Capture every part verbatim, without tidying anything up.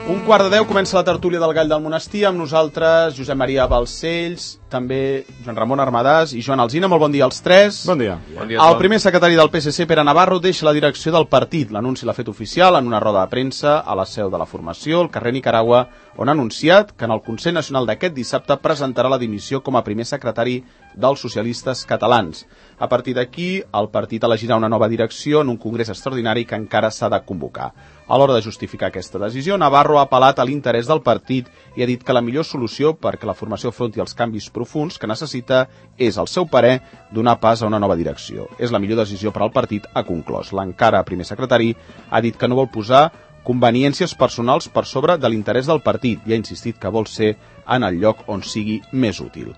Un quart de deu comença la tertúlia del Gall del Monestir, amb nosaltres Josep Maria Balcells, també Joan Ramon Armadàs i Joan Alsina. Molt bon dia als tres. Bon dia. Bon dia el primer secretari del P S C, Pere Navarro, deixa la direcció del partit. L'anunci l'ha fet oficial en una roda de premsa a la seu de la formació, al carrer Nicaragua, on ha anunciat que en el Consell Nacional d'aquest dissabte presentarà la dimissió com a primer secretari dels socialistes catalans. A partir d'aquí, el partit elegirà una nova direcció en un congrés extraordinari que encara s'ha de convocar. A l'hora de justificar aquesta decisió, Navarro ha apel·lat a l'interès del partit i ha dit que la millor solució perquè la formació afronti els canvis profunds que necessita és, al seu parer, donar pas a una nova direcció. És la millor decisió per al partit, ha conclòs. L'encara primer secretari ha dit que no vol posar conveniències personals per sobre de l'interès del partit i ha insistit que vol ser en el lloc on sigui més útil.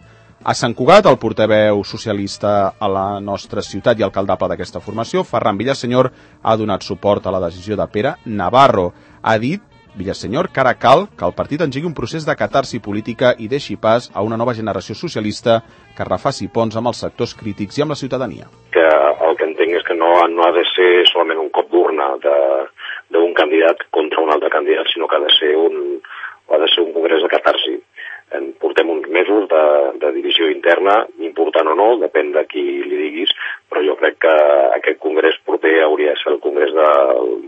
A Sant Cugat, el portaveu socialista a la nostra ciutat i alcaldable d'aquesta formació, Ferran Villasenyor, ha donat suport a la decisió de Pere Navarro. Ha dit, Villasenyor, que ara cal que el partit engegui un procés de catarsi política i deixi pas a una nova generació socialista que refaci ponts amb els sectors crítics i amb la ciutadania. Que el que entenc és que no, no ha de ser solament un cop d'urna d'un candidat contra un altre candidat, sinó que ha de ser un, ha de ser un congrés de catarsi. En portem uns mesos de, de divisió interna, important o no, depèn de qui li diguis, però jo crec que aquest congrés proper hauria de ser el congrés de,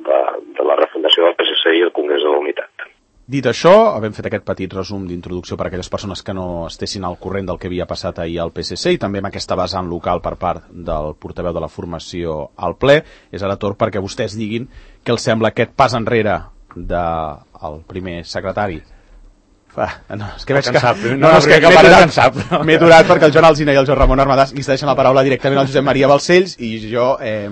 de, de la refundació del P S C i el congrés de la unitat. Dit això, havem fet aquest petit resum d'introducció per a aquelles persones que no estessin al corrent del que havia passat ahir al P S C i també amb aquesta vessant local per part del portaveu de la formació al ple. És ara torn perquè vostès diguin què els sembla aquest pas enrere del primer secretari. Ah, no, és que veig que... No, no, és que m'he durat, m'he durat perquè el Joan Alsina i el Joan Ramon Armadàs li cedeixen la paraula directament al Josep Maria Balcells i jo, eh,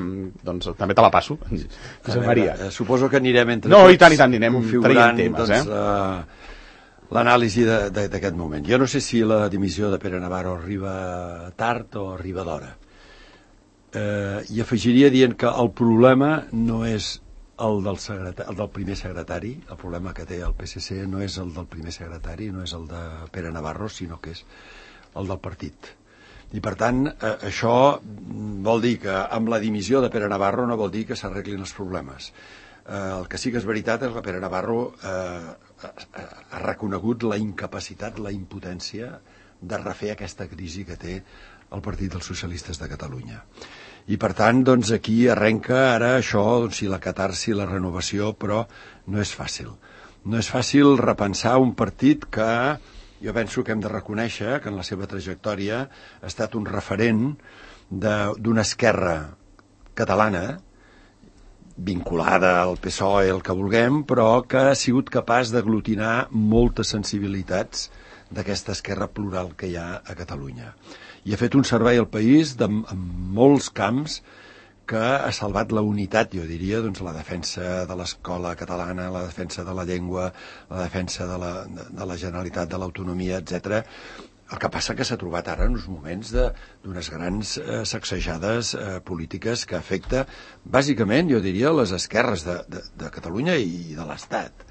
doncs, també te la passo. Josep Maria. Eh, suposo que anirem entre no, tots i tant, i tant, anirem traient temes, doncs, eh? Uh, l'anàlisi d'aquest moment. Jo no sé si la dimissió de Pere Navarro arriba tard o arriba d'hora. Eh, I afegiria dient que el problema no és El del, el del primer secretari, el problema que té el P S C no és el del primer secretari, no és el de Pere Navarro, sinó que és el del partit. I per tant, eh, això vol dir que amb la dimissió de Pere Navarro no vol dir que s'arreglin els problemes. Eh, el que sí que és veritat és que Pere Navarro eh, ha reconegut la incapacitat, la impotència de refer aquesta crisi que té el Partit dels Socialistes de Catalunya. I per tant, doncs, aquí arrenca ara això, doncs, si la catarsi, la renovació, però no és fàcil. No és fàcil repensar un partit que jo penso que hem de reconèixer que en la seva trajectòria ha estat un referent d'una esquerra catalana vinculada al P S O E, el que vulguem, però que ha sigut capaç d'aglutinar moltes sensibilitats d'aquesta esquerra plural que hi ha a Catalunya. I ha fet un servei al país de, en molts camps que ha salvat la unitat, jo diria, doncs la defensa de l'escola catalana, la defensa de la llengua, la defensa de la, de, de la Generalitat, de l'autonomia, etcètera. El que passa que s'ha trobat ara en uns moments d'unes grans eh, sacsejades eh, polítiques que afecta, bàsicament, jo diria, les esquerres de, de, de Catalunya i de l'Estat.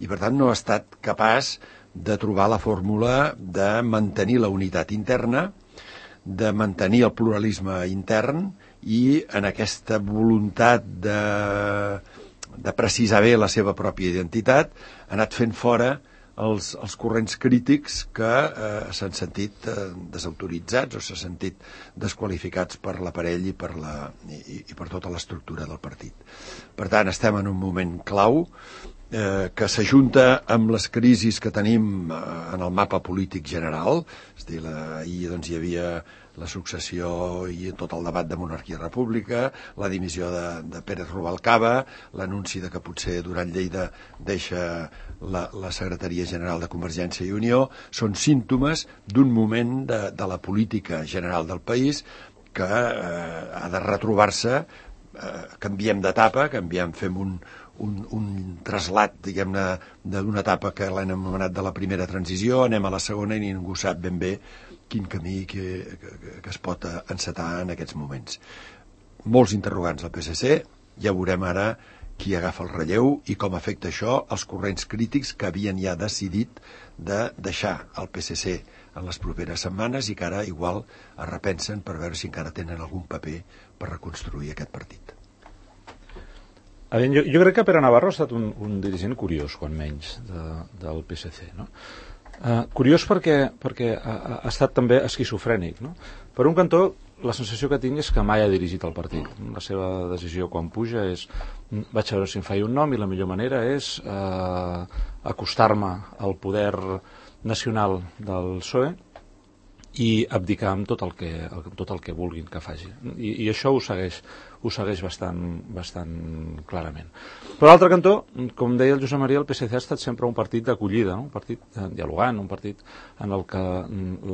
I, per tant, no ha estat capaç de trobar la fórmula de mantenir la unitat interna, de mantenir el pluralisme intern i en aquesta voluntat de, de precisar bé la seva pròpia identitat ha anat fent fora els, els corrents crítics que eh, s'han sentit eh, desautoritzats o s'han sentit desqualificats per l'aparell i, per la, i, i per tota l'estructura del partit. Per tant, estem en un moment clau Eh, que s'ajunta amb les crisis que tenim eh, en el mapa polític general. És a dir, la, ahir doncs, hi havia la successió i tot el debat de monarquia-república, la dimissió de, de Pérez Rubalcaba, l'anunci de que potser Duran Lleida deixa la, la secretaria general de Convergència i Unió, són símptomes d'un moment de, de la política general del país que eh, ha de retrobar-se, eh, canviem d'etapa, canviem, fem un Un, un traslat, diguem-ne, d'una etapa que l'hem anomenat de la primera transició, anem a la segona i ningú sap ben bé quin camí que, que, que es pot encetar en aquests moments. Molts interrogants al P S C, ja veurem ara qui agafa el relleu i com afecta això als corrents crítics que havien ja decidit de deixar el P S C en les properes setmanes i que ara igual es repensen per veure si encara tenen algun paper per reconstruir aquest partit. A veure, jo, jo crec que Pere Navarro ha estat un, un dirigent curiós, quan menys, de, del P S C, no? Uh, curiós perquè, perquè ha, ha estat també esquizofrènic, no? Per un cantó, la sensació que tinc és que mai ha dirigit el partit. La seva decisió quan puja és vaig a veure si em faig un nom i la millor manera és uh, acostar-me al poder nacional del P S O E i abdicar amb tot el que, tot el que vulguin que faci. I, i això ho segueix, ho segueix bastant, bastant clarament. Per l'altre cantó, com deia el Josep Maria, el P S C ha estat sempre un partit d'acollida, no? Un partit dialogant, un partit en el que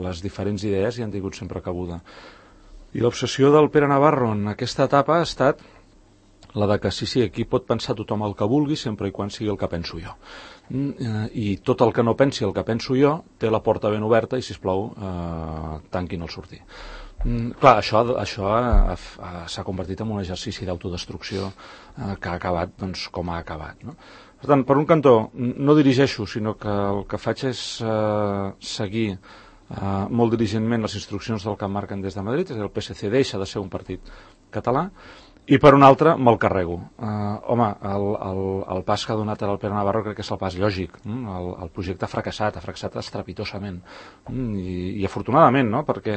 les diferents idees hi han tingut sempre cabuda. I l'obsessió del Pere Navarro en aquesta etapa ha estat la de que sí, sí, aquí pot pensar tothom el que vulgui sempre i quan sigui el que penso jo. I tot el que no pensi el que penso jo té la porta ben oberta i, sisplau, eh, tanquin el sortir. Mm, clar, això, això s'ha convertit en un exercici d'autodestrucció eh, que ha acabat doncs, com ha acabat, no? Per tant, per un cantó, no dirigeixo, sinó que el que faig és eh, seguir eh, molt diligentment les instruccions del que em marquen des de Madrid, és a dir, el P S C deixa de ser un partit català, i per un altre me'l carrego. Uh, home, el, el, el pas que ha donat el Pere Navarro crec que és el pas lògic. Mm? El, el projecte ha fracassat, ha fracassat estrepitosament. Mm? I, I afortunadament, no? Perquè,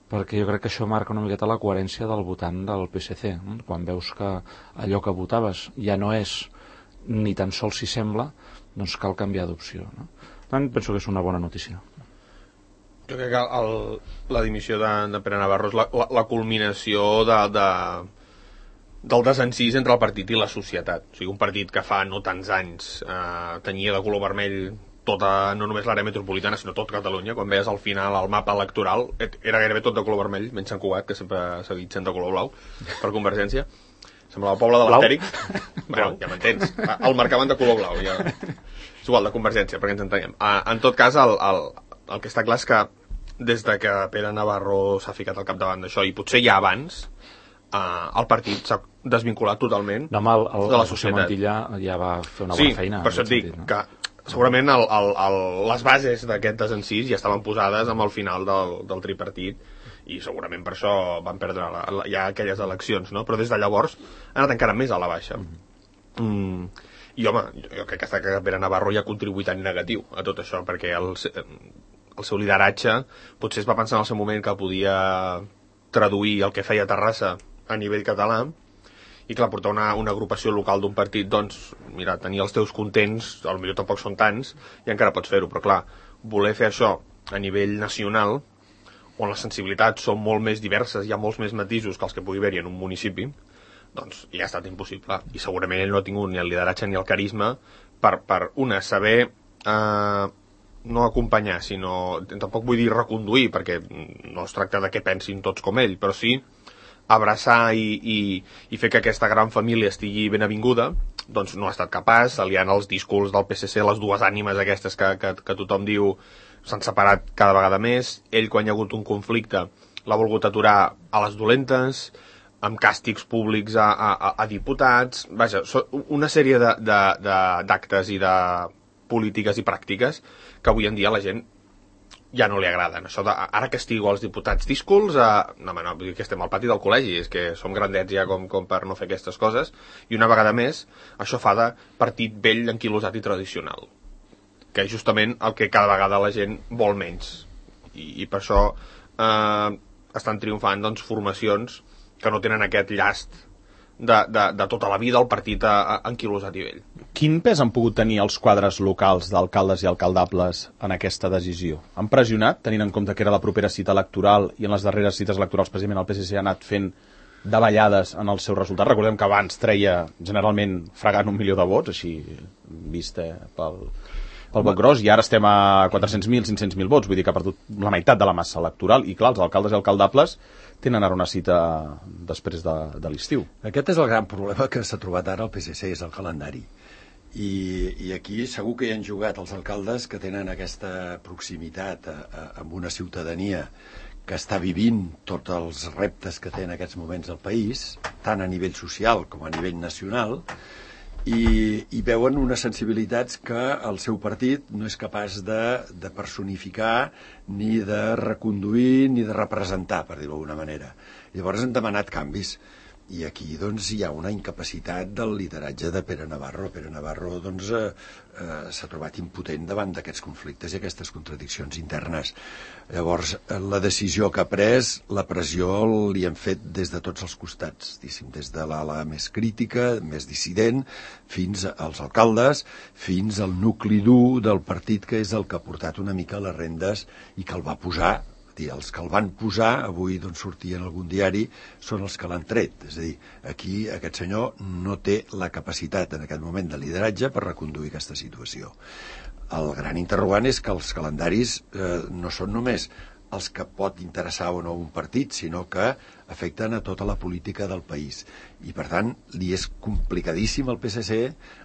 perquè jo crec que això marca una miqueta la coherència del votant del P S C. Mm? Quan veus que allò que votaves ja no és ni tan sols si sembla, doncs cal canviar d'opció. No? Per tant, penso que és una bona notícia. Jo crec que el, la dimissió de, de Pere Navarro és la, la, la culminació de... de del desencís entre el partit i la societat. O sigui, un partit que fa no tants anys eh, tenia de color vermell tota, no només l'àrea metropolitana, sinó tot Catalunya. Quan veies al final el mapa electoral, era gairebé tot de color vermell, menys Sant Cugat, que sempre s'ha dit sent de color blau, per Convergència. Semblava el poble de l'Astèrix. Bueno, ja m'entens. El marcaven de color blau. Ja... És igual, de Convergència, perquè ens entenem. En tot cas, el, el, el que està clar és que des de que Pere Navarro s'ha ficat al capdavant d'això, i potser ja abans, Uh, el partit s'ha desvinculat totalment no, el, el, de la societat. El Montilla ja va fer una sí, bona feina. Sí, per això et dic sentit, no? que segurament el, el, el, les bases d'aquest desencís ja estaven posades amb el final del, del tripartit i segurament per això van perdre la, la, ja aquelles eleccions, no? Però des de llavors ha anat encara més a la baixa. Mm. Mm. I home, jo crec que, que Pere Navarro ja ha contribuït en negatiu a tot això, perquè el, el seu lideratge potser es va pensar en el seu moment que podia traduir el que feia Terrassa a nivell català, i clar, portar una, una agrupació local d'un partit, doncs, mira, tenir els teus contents, potser tampoc són tants, i encara pots fer-ho, però clar, voler fer això a nivell nacional, on les sensibilitats són molt més diverses, hi ha molts més matisos que els que pugui haver-hi en un municipi, doncs ja ha estat impossible, i segurament ell no ha tingut ni el lideratge ni el carisma per, per una, saber eh, no acompanyar, sinó, tampoc vull dir reconduir, perquè no es tracta de què pensin tots com ell, però sí abraçar i, i, i fer que aquesta gran família estigui ben avinguda, doncs no ha estat capaç, aliant els discurs del P S C, les dues ànimes aquestes que, que, que tothom diu s'han separat cada vegada més. Ell, quan hi ha hagut un conflicte, l'ha volgut aturar a les dolentes, amb càstigs públics a, a, a diputats, vaja, una sèrie d'actes i de polítiques i pràctiques que avui en dia la gent ja no li agraden. Això de, ara castigo als diputats díscols, a... no, no, que estem al pati del col·legi, és que som grandets ja com, com per no fer aquestes coses, i una vegada més, això fa de partit vell, anquilosat i tradicional, que és justament el que cada vegada la gent vol menys. I, i per això eh, estan triomfant doncs, formacions que no tenen aquest llast de, de, de tota la vida el partit anquilosat i vell. Quin pes han pogut tenir els quadres locals d'alcaldes i alcaldables en aquesta decisió? Han pressionat, tenint en compte que era la propera cita electoral i en les darreres cites electorals precisament el P S C ha anat fent davallades en el seu resultat? Recordem que abans treia generalment fregant un milió de vots, així vist eh, pel, pel vot gros, i ara estem a quatre-cents mil, cinc-cents mil vots, vull dir que ha perdut la meitat de la massa electoral, i clar, els alcaldes i alcaldables tenen ara una cita després de, de l'estiu. Aquest és el gran problema que s'ha trobat ara el P S C, és el calendari. I, i aquí segur que hi han jugat els alcaldes que tenen aquesta proximitat a, a, amb una ciutadania que està vivint tots els reptes que té en aquests moments el país, tant a nivell social com a nivell nacional, i, i veuen unes sensibilitats que el seu partit no és capaç de, de personificar, ni de reconduir, ni de representar, per dir-ho d'alguna manera. Llavors han demanat canvis. I aquí doncs, hi ha una incapacitat del lideratge de Pere Navarro. Pere Navarro doncs, eh, eh, s'ha trobat impotent davant d'aquests conflictes i aquestes contradiccions internes. Llavors, la decisió que ha pres, la pressió li han fet des de tots els costats, des de l'ala més crítica, més dissident, fins als alcaldes, fins al nucli dur del partit, que és el que ha portat una mica les rendes i que el va posar. Els que el van posar, avui doncs, sortia en algun diari, són els que l'han tret. És a dir, aquí aquest senyor no té la capacitat en aquest moment de lideratge per reconduir aquesta situació. El gran interrogant és que els calendaris eh, no són només els que pot interessar o no un partit, sinó que afecten a tota la política del país. I, per tant, li és complicadíssim al P S C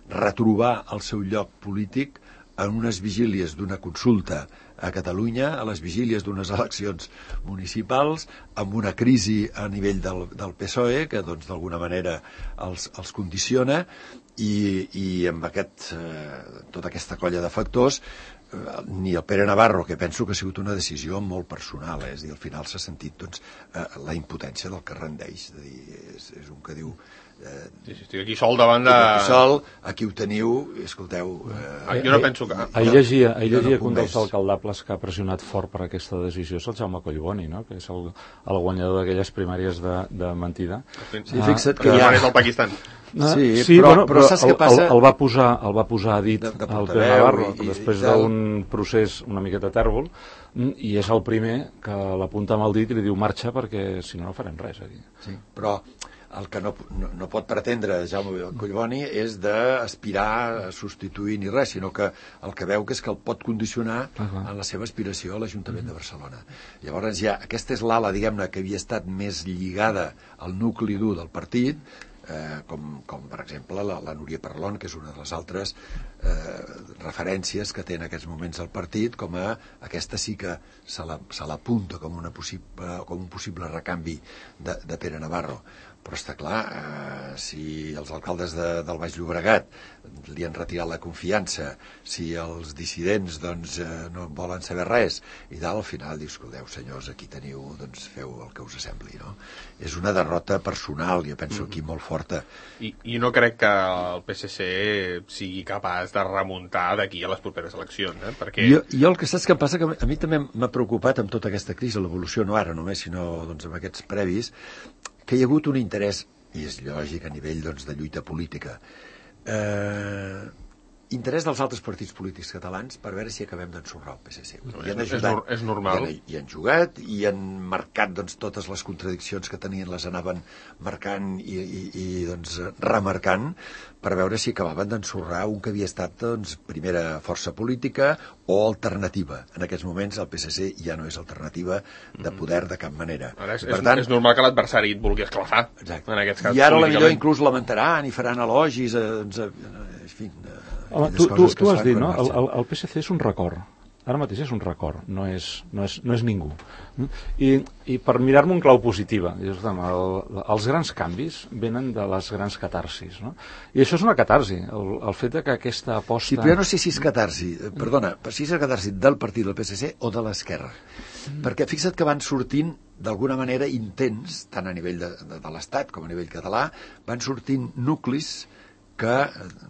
retrobar el seu lloc polític en unes vigílies d'una consulta a Catalunya, a les vigílies d'unes eleccions municipals, amb una crisi a nivell del, del P S O E, que doncs d'alguna manera els, els condiciona, i, i amb aquest, eh, tota aquesta colla de factors, eh, ni el Pere Navarro, que penso que ha sigut una decisió molt personal, eh, és a dir, al final s'ha sentit doncs, eh, la impotència del que rendeix, és a dir, és, és un que diu Eh, sí, sí, estic aquí sol davant de... Aquí sol, aquí ho teniu, escolteu... Eh, ah, jo no penso que... Ahir llegia, ahir llegia que un dels alcaldables que ha pressionat fort per aquesta decisió és el Jaume Collboni, no? Que és el, el guanyador d'aquelles primàries de, de mentida. Sí, fixa't que... Ja és el Pakistan. No, sí, sí, però, bueno, però, però saps què passa? El, el, va posar, el va posar a dit de, de el Pere Navarro, i, després i d'un procés una miqueta tèrbol, i és el primer que l'apunta amb el dit i li diu marxa perquè si no no farem res aquí. Sí, però el que no, no, no pot pretendre Jaume Collboni és d'aspirar a substituir ni res, sinó que el que veu que és que el pot condicionar uh -huh. en la seva aspiració a l'Ajuntament uh -huh. de Barcelona. Llavors ja, aquesta és l'ala, diguem-ne, que havia estat més lligada al nucli dur del partit, eh, com, com per exemple la, la Núria Parlon, que és una de les altres eh, referències que té en aquests moments el partit, com a aquesta sí que se l'apunta com, una possible, com un possible recanvi de, de Pere Navarro. Però està clar, eh, si els alcaldes de, del Baix Llobregat li han retirat la confiança, si els dissidents doncs, eh, no volen saber res, i tal, al final dius, escolteu, senyors, aquí teniu, doncs feu el que us sembli, no? És una derrota personal, jo penso aquí molt forta. I, i no crec que el P S C sigui capaç de remuntar d'aquí a les properes eleccions, eh? Perquè... Jo, jo el que saps que passa, que a mi també m'ha preocupat amb tota aquesta crisi, l'evolució no ara només, sinó doncs, amb aquests previs, que hi ha hagut un interès, i és lògic a nivell doncs, de lluita política, eh, interès dels altres partits polítics catalans per veure si acabem d'ensorrar el P S C. No, és, ajudat, és, és normal. I han, i han jugat, i han marcat doncs, totes les contradiccions que tenien, les anaven marcant i, i, i doncs, remarcant, per veure si acabaven d'ensorrar un que havia estat doncs, primera força política o alternativa. En aquests moments el P S C ja no és alternativa de poder de cap manera. Ara és, per tant, és normal que l'adversari et vulgui esclafar. Exacte. En aquest cas, I ara potser inclús lamentaran i faran elogis, eh, doncs, eh, en fi... Eh, Home, tu, tu, tu has dit, no? El, el, el P S C és un record. Ara mateix és un record, no és, no és, no és ningú. I, i per mirar-me un clau positiva, dius, el, els grans canvis venen de les grans catarsis, no? I això és una catarsi, el, el fet de que aquesta aposta... Sí, però jo no sé si és catarsi, perdona, si és catarsi del partit del P S C o de l'esquerra. Mm. Perquè fixa't que van sortint d'alguna manera intents, tant a nivell de, de, de l'Estat com a nivell català, van sortint nuclis que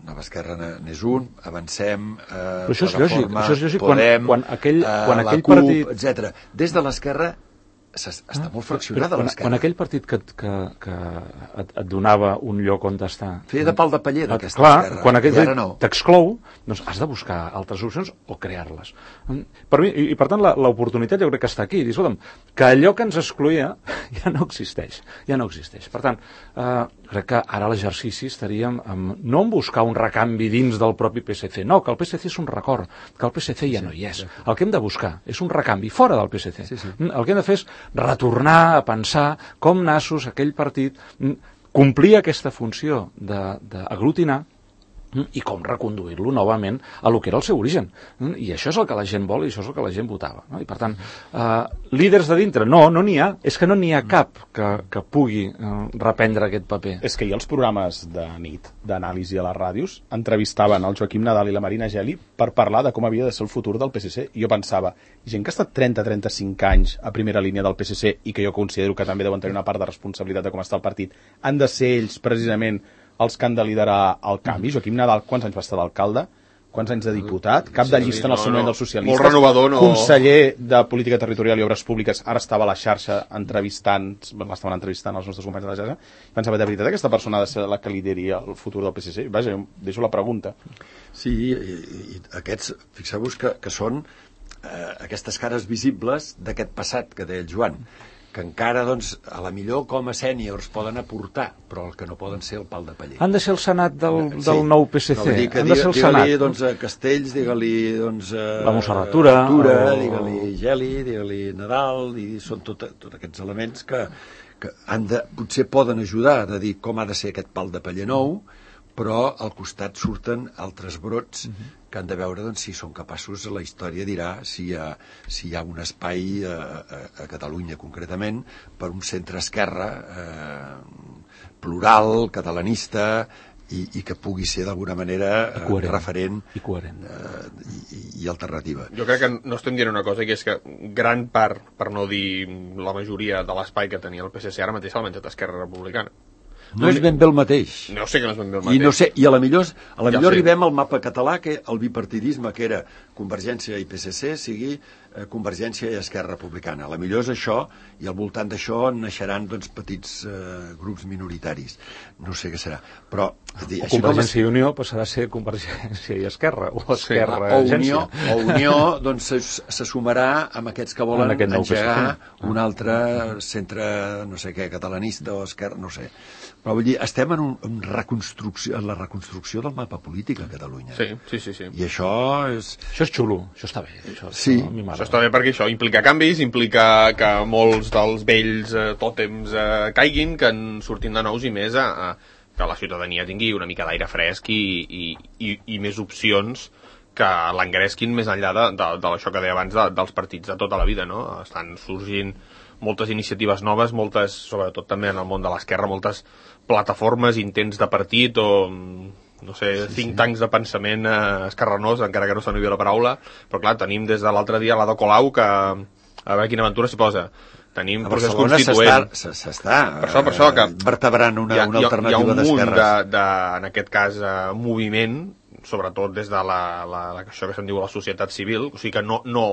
Nova Esquerra n'és un, Avancem, eh, això és lògic, això és lògic Podem, quan, quan aquell, eh, quan aquell la CUP, partit... etcètera. Des de l'esquerra està ah, molt fraccionada l'esquerra. Quan aquell partit que, que, que et, et donava un lloc on estar... Feia de pal de paller d'aquesta clar, esquerra. Quan aquell no. t'exclou, doncs has de buscar altres opcions o crear-les. Per mi, i, i per tant l'oportunitat jo crec que està aquí. Dir, escolta'm, que allò que ens excloïa ja no existeix. Ja no existeix. Per tant, eh, crec que ara l'exercici estaríem amb, no en buscar un recanvi dins del propi P S C, no, que el P S C és un record, que el P S C ja sí, no hi és. El que hem de buscar és un recanvi fora del P S C. Sí, sí. El que hem de fer és retornar a pensar com nassos aquell partit complia aquesta funció d'aglutinar i com reconduir-lo novament a lo que era el seu origen. I això és el que la gent vol i això és el que la gent votava. No? I per tant, eh, líders de dintre, no, no n'hi ha. És que no n'hi ha cap que, que pugui eh, reprendre aquest paper. És que hi ha els programes de nit, d'anàlisi a les ràdios, entrevistaven el Joaquim Nadal i la Marina Geli per parlar de com havia de ser el futur del P S C. I jo pensava, gent que ha estat trenta a trenta-cinc anys a primera línia del P S C i que jo considero que també deuen tenir una part de responsabilitat de com està el partit, han de ser ells, precisament, els que han de liderar el canvi. Joaquim Nadal, quants anys va estar d'alcalde? Quants anys de diputat? Cap de llista en el seu moment dels socialistes. Molt renovador, no? Conseller de Política Territorial i Obres Públiques, ara estava a la xarxa entrevistant, l'estaven entrevistant els nostres companys de la xarxa. Pensava, de veritat, aquesta persona ha de ser la que lideri el futur del P S C? Vaja, deixo la pregunta. Sí, i, i aquests, fixeu-vos que, que són eh, aquestes cares visibles d'aquest passat que deia el Joan, que encara, doncs, a la millor com a sèniors poden aportar, però el que no poden ser el pal de paller. Han de ser el Senat del, del sí. nou P S C. No, dir que Han de ser el digue-li, Senat. doncs, a Castells, digue-li, doncs, a la Montserratura, Tura, o... digue-li Geli, digue-li Nadal, i són tots tot aquests elements que, que han de, potser poden ajudar a dir com ha de ser aquest pal de paller nou, però al costat surten altres brots uh-huh. que han de veure, doncs, si són capaços, la història dirà si hi ha, si hi ha un espai a, a, a Catalunya concretament per un centre-esquerra eh, plural, catalanista i, i que pugui ser d'alguna manera eh, referent i, coherent. Eh, i, i alternativa. Jo crec que no estem dient una cosa, que és que gran part, per no dir la majoria de l'espai que tenia el P S C ara mateix l'ha menjat Esquerra Republicana. No és ben bé el mateix. No sé que no és ben bé el mateix. I, no sé, i a la millor, a la ja millor arribem al mapa català, que el bipartidisme, que era Convergència i P S C, sigui eh, Convergència i Esquerra Republicana. A la millor és això, i al voltant d'això naixeran, doncs, petits eh, grups minoritaris. No sé què serà. Però, és dir, o així Convergència com... i Unió passarà a ser Convergència i Esquerra, o Esquerra sí, o Agència. Unió, o Unió doncs, se, se sumarà amb aquests que volen en engegar un altre centre, no sé què, catalanista o esquerra, no sé. Però vull dir, estem en, un, en, reconstrucció, en la reconstrucció del mapa polític a Catalunya. Sí, sí, sí. sí. I això és... Això és xulo, això està bé. Això, sí. Això, això està bé perquè això implica canvis, implica que molts dels vells eh, tòtems eh, caiguin, que en surtin de nous i més a, a, que la ciutadania tingui una mica d'aire fresc i, i, i, i més opcions que l'engresquin més enllà de, de, de això que deia abans de, dels partits de tota la vida, no? Estan sorgint moltes iniciatives noves, moltes, sobretot també en el món de l'esquerra, moltes plataformes, intents de partit o, no sé, sí, think sí. tanks de pensament eh, esquerranós, encara que no s'anuvi la paraula, però clar, tenim des de l'altre dia l'Ada Colau, que a veure quina aventura s'hi posa. Tenim a procés Barcelona constituent. S'està per això, per això, que vertebrant una, ha, una alternativa d'esquerres. Hi ha un munt, de, de, en aquest cas, eh, moviment, sobretot des de la, la, la, això que se'n diu la societat civil, o sigui que no, no,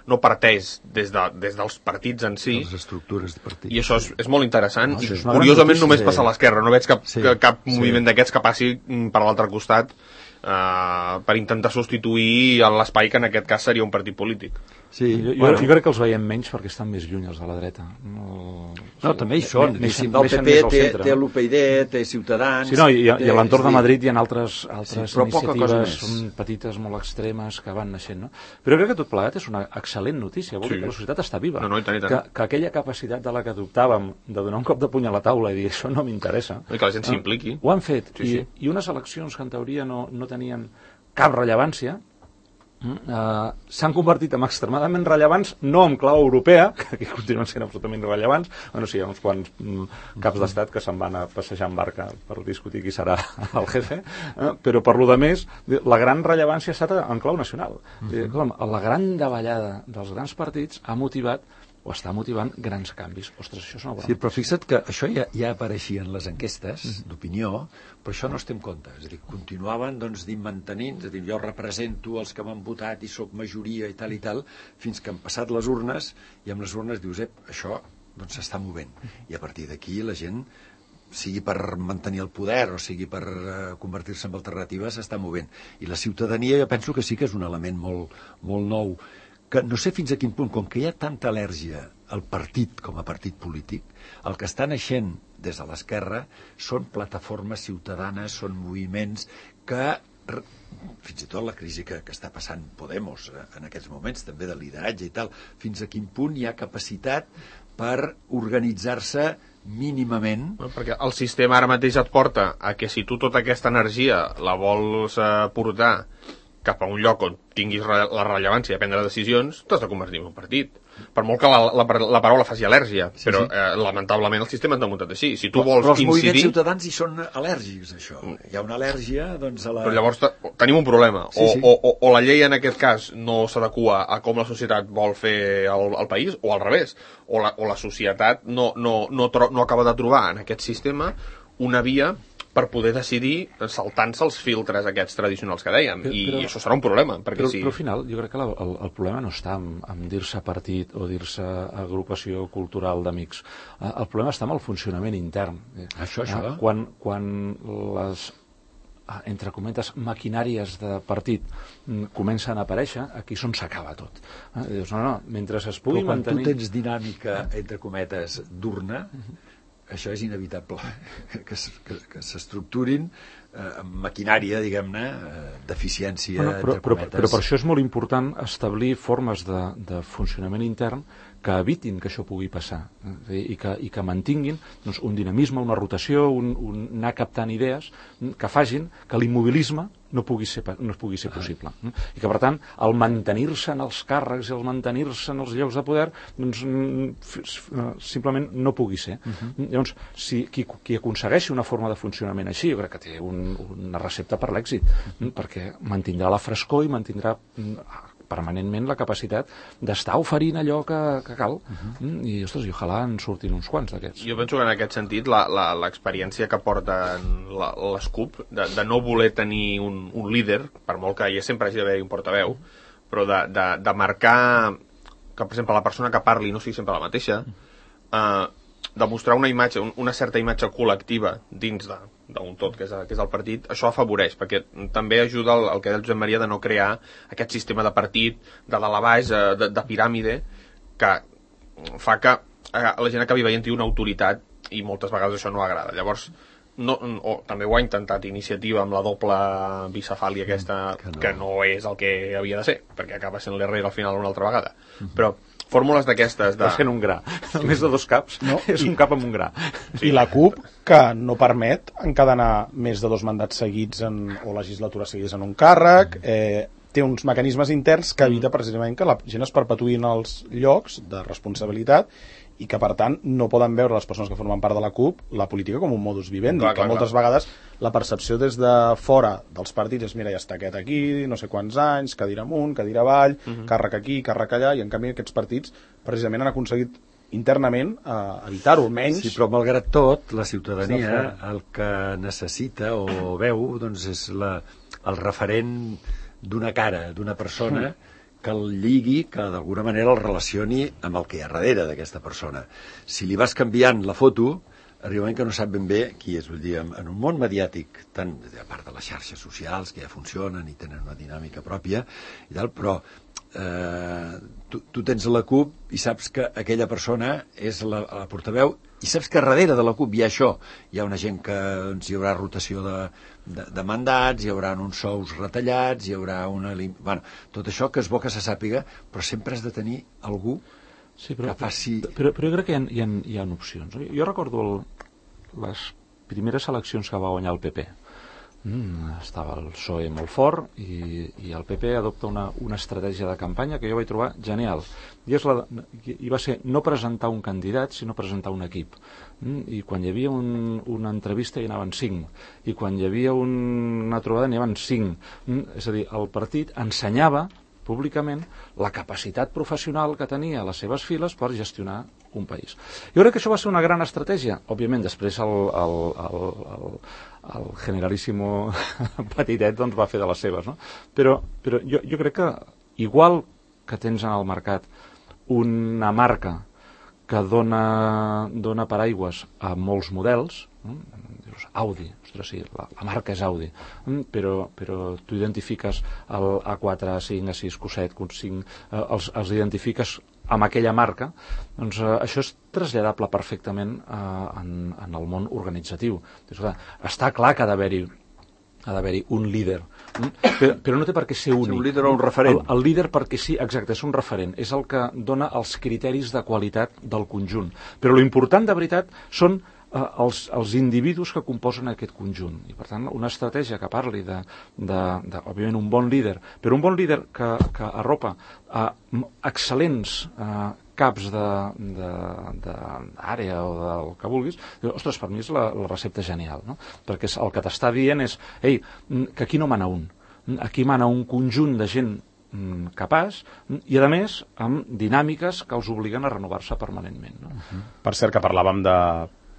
no parteix des, de, des dels partits en si, les estructures de partits. I això és, és molt interessant, no, i curiosament només passa a l'esquerra, no veig cap, sí, cap sí. moviment d'aquests que passi per l'altre costat eh, per intentar substituir l'espai que en aquest cas seria un partit polític. Sí, jo, bueno. jo crec que els veiem menys perquè estan més lluny els de la dreta. No, no sí, també hi són. Neixen, el P P té, centre, té l'U P y D, té Ciutadans... Sí, no, i, té, i a l'entorn de Madrid hi ha altres, altres sí, iniciatives són petites, molt extremes, que van naixent. No? Però crec que tot plegat és una excel·lent notícia. Vol sí. dir que la societat està viva. No, no, i tant, i tant. Que, que aquella capacitat de la que adoptàvem de donar un cop de puny a la taula i dir això no m'interessa... I que la gent s'impliqui. Ho han fet. Sí, i, sí. I unes eleccions que en teoria no, no tenien cap rellevància, Uh, s'han convertit en extremadament rellevants, no en clau europea, que aquí continuen sent absolutament irrellevants. Bueno, sí, hi ha uns quants mm, caps d'estat que se'n van a passejar en barca per discutir qui serà el jefe, uh, però per lo de més, la gran rellevància ha estat en clau nacional. Uh-huh. La gran davallada dels grans partits ha motivat o està motivant grans canvis. Ostres, això és una bona sí, però fixa't que això ja, ja apareixia en les enquestes mm. d'opinió, però això no es té en compte. És a dir, continuaven doncs, mantenint, és a dir, jo represento els que m'han votat i sóc majoria i tal i tal, fins que han passat les urnes, i amb les urnes dius, ep, això doncs s'està movent. I a partir d'aquí la gent, sigui per mantenir el poder o sigui per uh, convertir-se en alternativa, s'està movent. I la ciutadania jo penso que sí que és un element molt, molt nou, que no sé fins a quin punt, com que hi ha tanta al·lèrgia al partit com a partit polític, el que està naixent des de l'esquerra són plataformes ciutadanes, són moviments que, fins i tot la crisi que, que està passant Podemos en aquests moments, també de lideratge i tal, fins a quin punt hi ha capacitat per organitzar-se mínimament... No, perquè el sistema ara mateix et porta a que si tu tota aquesta energia la vols eh, portar cap a un lloc on tinguis re la rellevància de prendre decisions, t'has de convertir en un partit. Per molt que la, la, la paraula faci al·lèrgia, sí, però sí. Eh, lamentablement el sistema està muntat així. Si tu però, vols però els incidir... moviments ciutadans hi són al·lèrgics, això. Hi ha una al·lèrgia, doncs, a la... Però llavors tenim un problema. O, sí, sí. O, o, o la llei en aquest cas no s'adequa a com la societat vol fer el, el país, o al revés. O la, o la societat no, no, no, tro no acaba de trobar en aquest sistema una via per poder decidir saltant-se els filtres aquests tradicionals que dèiem, però, i però, això serà un problema. Perquè però, si... però al final jo crec que la, el, el problema no està en, en dir-se partit o dir-se agrupació cultural d'amics. El problema està en el funcionament intern. Això, això. Quan, quan les, entre cometes, maquinàries de partit comencen a aparèixer, aquí és on s'acaba tot. Dius, no, no, mentre es pugui però quan mantenir... tu tens dinàmica, entre cometes, d'urna, això és inevitable, que, que, que s'estructurin eh, amb maquinària, diguem-ne, eh, d'eficiència, bueno, però, entre però, cometes. Però per això és molt important establir formes de, de funcionament intern que evitin que això pugui passar eh, i, que, i que mantinguin doncs, un dinamisme, una rotació, un, un anar captant idees que facin que l'immobilisme no pugui ser, no pugui ser possible. Eh? I que, per tant, el mantenir-se en els càrrecs i el mantenir-se en els llocs de poder doncs, simplement no pugui ser. Uh -huh. Llavors, si, qui, qui aconsegueixi una forma de funcionament així, jo crec que té un, una recepta per l'èxit, eh? perquè mantindrà la frescor i mantindrà permanentment la capacitat d'estar oferint allò que, que cal. Uh-huh. I, ostres, i ojalà en surtin uns quants d'aquests. Jo penso que en aquest sentit l'experiència que porten les C U P de, de no voler tenir un, un líder, per molt que ja sempre hagi d'haver un portaveu, però de, de, de marcar que, per exemple, la persona que parli no sigui sempre la mateixa, eh, de mostrar una imatge, una certa imatge col·lectiva dins de d'un tot, que és, que és el partit, això afavoreix, perquè també ajuda el, el que deia el Josep Maria de no crear aquest sistema de partit de dalt a baix, de, de piràmide, que fa que la gent acabi veient-hi una autoritat i moltes vegades això no agrada. Llavors, no, o, també ho ha intentat Iniciativa amb la doble bicefàlia aquesta, que no. que no és el que havia de ser, perquè acaba sent l'Herrera al final una altra vegada. Uh-huh. Però fórmules d'aquestes... De... És fent un gra. Sí. Més de dos caps, no? És I, un cap amb un gra. Sí. I la C U P, que no permet encadenar més de dos mandats seguits en, o legislatures seguides en un càrrec, eh, té uns mecanismes interns que evita precisament que la gent es perpetuï en els llocs de responsabilitat i que, per tant, no poden veure les persones que formen part de la C U P la política com un modus vivendi, clar, clar, que moltes clar. vegades la percepció des de fora dels partits és, mira, ja està aquest aquí, no sé quants anys, cadira amunt, cadira avall, uh -huh. càrrec aquí, càrrec allà, i en canvi aquests partits precisament han aconseguit internament eh, evitar-ho, almenys... Sí, però malgrat tot, la ciutadania el que necessita o veu doncs és la, el referent d'una cara, d'una persona... Uh-huh. que el lligui, que d'alguna manera el relacioni amb el que hi ha darrere d'aquesta persona. Si li vas canviant la foto, arriba un moment que no sap ben bé qui és. Vull dir, en un món mediàtic, tant a part de les xarxes socials, que ja funcionen i tenen una dinàmica pròpia, i tal, però eh, tu, tu tens la C U P i saps que aquella persona és la, la portaveu, i saps que darrere de la C U P hi ha això. Hi ha una gent que doncs, hi haurà rotació de, de, de mandats, hi haurà uns sous retallats, hi haurà una... Bueno, tot això que és bo que se sàpiga, però sempre has de tenir algú sí, però, que faci... Però, però jo crec que hi ha, hi ha, hi ha opcions. Jo recordo el, les primeres eleccions que va guanyar el P P. Mm, estava el P S O E molt fort i, i el P P adopta una, una estratègia de campanya que jo vaig trobar genial. I, és la, i va ser no presentar un candidat, sinó presentar un equip. Mm, I quan hi havia un, una entrevista hi anaven cinc. I quan hi havia un, una trobada n'hi anaven cinc. Mm, és a dir, el partit ensenyava públicament la capacitat professional que tenia a les seves files per gestionar un país. Jo crec que això va ser una gran estratègia. Òbviament, després el, el, el, el, el generalíssimo petitet doncs, va fer de les seves, no? Però, però jo, jo crec que igual que tens en el mercat una marca que dona, dona paraigües a molts models, no? Dius, Audi, ostres, sí, la, la marca és Audi, però, però tu identifiques el A quatre, A cinc, A sis, Q set, Q cinc, eh, els, els identifiques amb aquella marca, doncs eh, això és traslladable perfectament eh, en, en el món organitzatiu. Dius, clar, està clar que ha d'haver-hi ha d'haver-hi un líder. Però, però no té per què ser únic. Un líder o un referent. El, el líder perquè sí, exacte, és un referent. És el que dona els criteris de qualitat del conjunt. Però l'important, de veritat, són eh, els, els individus que composen aquest conjunt. I, per tant, una estratègia que parli de, de, de òbviament, un bon líder, però un bon líder que, que arropa a excel·lents eh, caps d'àrea o del que vulguis, ostres, per mi és la, la recepta genial, no? Perquè el que t'està dient és, ei, que aquí no mana un, aquí mana un conjunt de gent capaç i, a més, amb dinàmiques que els obliguen a renovar-se permanentment. No? Uh-huh. Per cert, que parlàvem de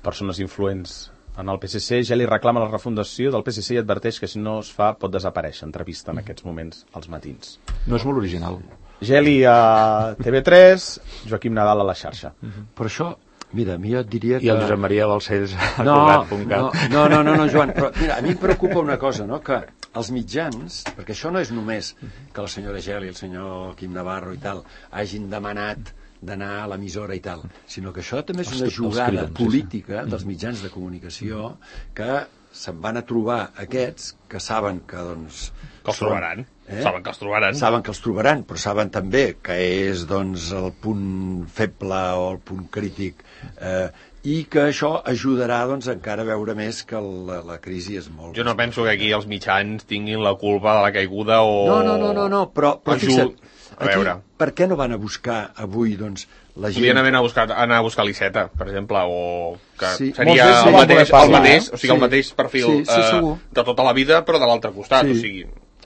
persones influents en el P S C, ja li reclama la refundació del P S C i adverteix que si no es fa pot desaparèixer. Entrevista en aquests moments als matins. No és molt original. Geli a T V tres, Joaquim Nadal a la xarxa. Uh-huh. Però això, mira, a mi jo et diria que... I el Josep Maria Balcells a no, Cugat punt cat. No, no, no, no, Joan, però mira, a mi em preocupa una cosa, no?, que els mitjans, perquè això no és només que la senyora Geli, el senyor Quim Navarro i tal, hagin demanat d'anar a l'emissora i tal, sinó que això també és una jugada política dels mitjans de comunicació que se'n van a trobar aquests que saben que, doncs... Que els trobaran. Eh? Saben que els trobaran. Saben que els trobaran, però saben també que és, doncs, el punt feble o el punt crític, eh, i que això ajudarà, doncs, encara a veure més que la, la crisi és molt... Jo no penso que aquí els mitjans tinguin la culpa de la caiguda o... No, no, no, no, no però, però fixa't, a veure. Aquí, per què no van a buscar avui, doncs, la gent... Podrien haver anar a buscar, anar a buscar l'Iceta, per exemple, o que sí. seria el mateix, el mateix, o sigui, el mateix perfil sí, sí, eh, de tota la vida, però de l'altre costat, sí. o sigui...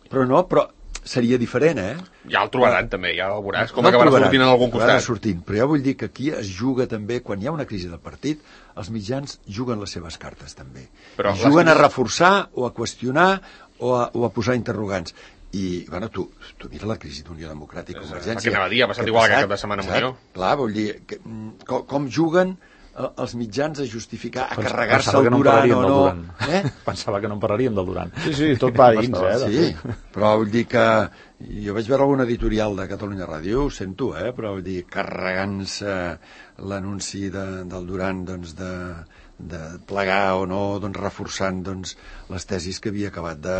Però no, però seria diferent, eh? Ja el trobaran, però, també, ja el veuràs, com no acabarà sortint en algun costat. Sortint, però jo vull dir que aquí es juga també, quan hi ha una crisi del partit, els mitjans juguen les seves cartes, també. Però juguen les... a reforçar, o a qüestionar, o a, o a posar interrogants. I, bueno, tu, tu mira la crisi d'Unió Democràtica i Convergència. Perquè anava a dir, ha passat igual que cap de setmana amb Unió. Clar, vull dir, que, com, com juguen els mitjans a justificar, a carregar-se el Duran o no... Eh? Pensava que no en parlaríem del Duran. Sí, sí, tot va dins, eh? Sí, però vull dir que... Jo vaig veure algun editorial de Catalunya Ràdio, ho sento, eh? Però vull dir, carregant-se l'anunci de, del Duran, doncs, de, de plegar o no, doncs, reforçant, doncs, les tesis que havia acabat de,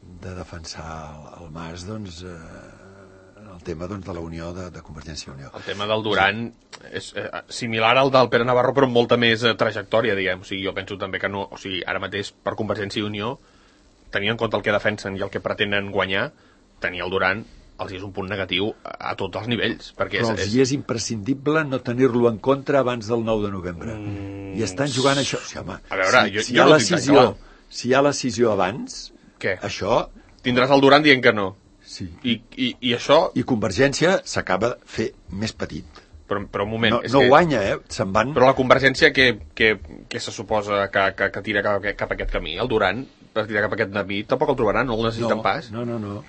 de defensar el, el Mas, doncs... Eh, el tema, doncs, de la Unió, de, de Convergència i Unió. El tema del Duran és eh, similar al del Pere Navarro, però amb molta més eh, trajectòria, diguem. O sigui, jo penso també que no... O sigui, ara mateix, per Convergència i Unió, tenint en compte el que defensen i el que pretenen guanyar, tenir el Duran els és un punt negatiu a, a tots els nivells. Perquè però és, els és... és imprescindible no tenir-lo en contra abans del nou de novembre. Mm... I estan jugant això... O sigui, home, a veure, si, jo, si, jo hi no decisió, si hi ha la decisió abans, què? Això... Tindràs el Duran dient que no. Sí. I, i, i això... I Convergència s'acaba de fer més petit. Però, però un moment... No, és no que... guanya, eh? Se'n van... Però la Convergència, què, què, què se suposa que, que, que tira cap, cap a aquest camí? El Duran, per tirar cap a aquest camí, tampoc el trobaran, no el necessiten no, pas. No, no, no.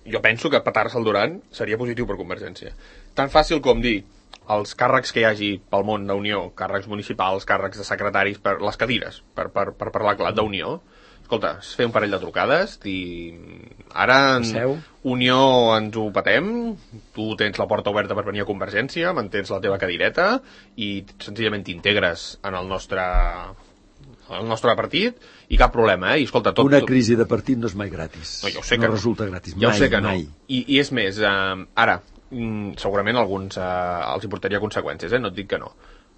Jo penso que petar-se el Duran seria positiu per Convergència. Tan fàcil com dir els càrrecs que hi hagi pel món d'Unió, càrrecs municipals, càrrecs de secretaris, per les cadires, per, per, per parlar clar d'Unió. Escolta, es fer un parell de trucades i ara en Unió ens ho patem, tu tens la porta oberta per venir a Convergència, mantens la teva cadireta i senzillament t'integres en el nostre el nostre partit i cap problema, eh? I escolta, tot... Una crisi de partit no és mai gratis. No, ja ho sé no que no. resulta gratis, ja mai, ho sé que mai. No. I, I és més, eh, ara, segurament alguns eh, els importaria conseqüències, eh? No et dic que no.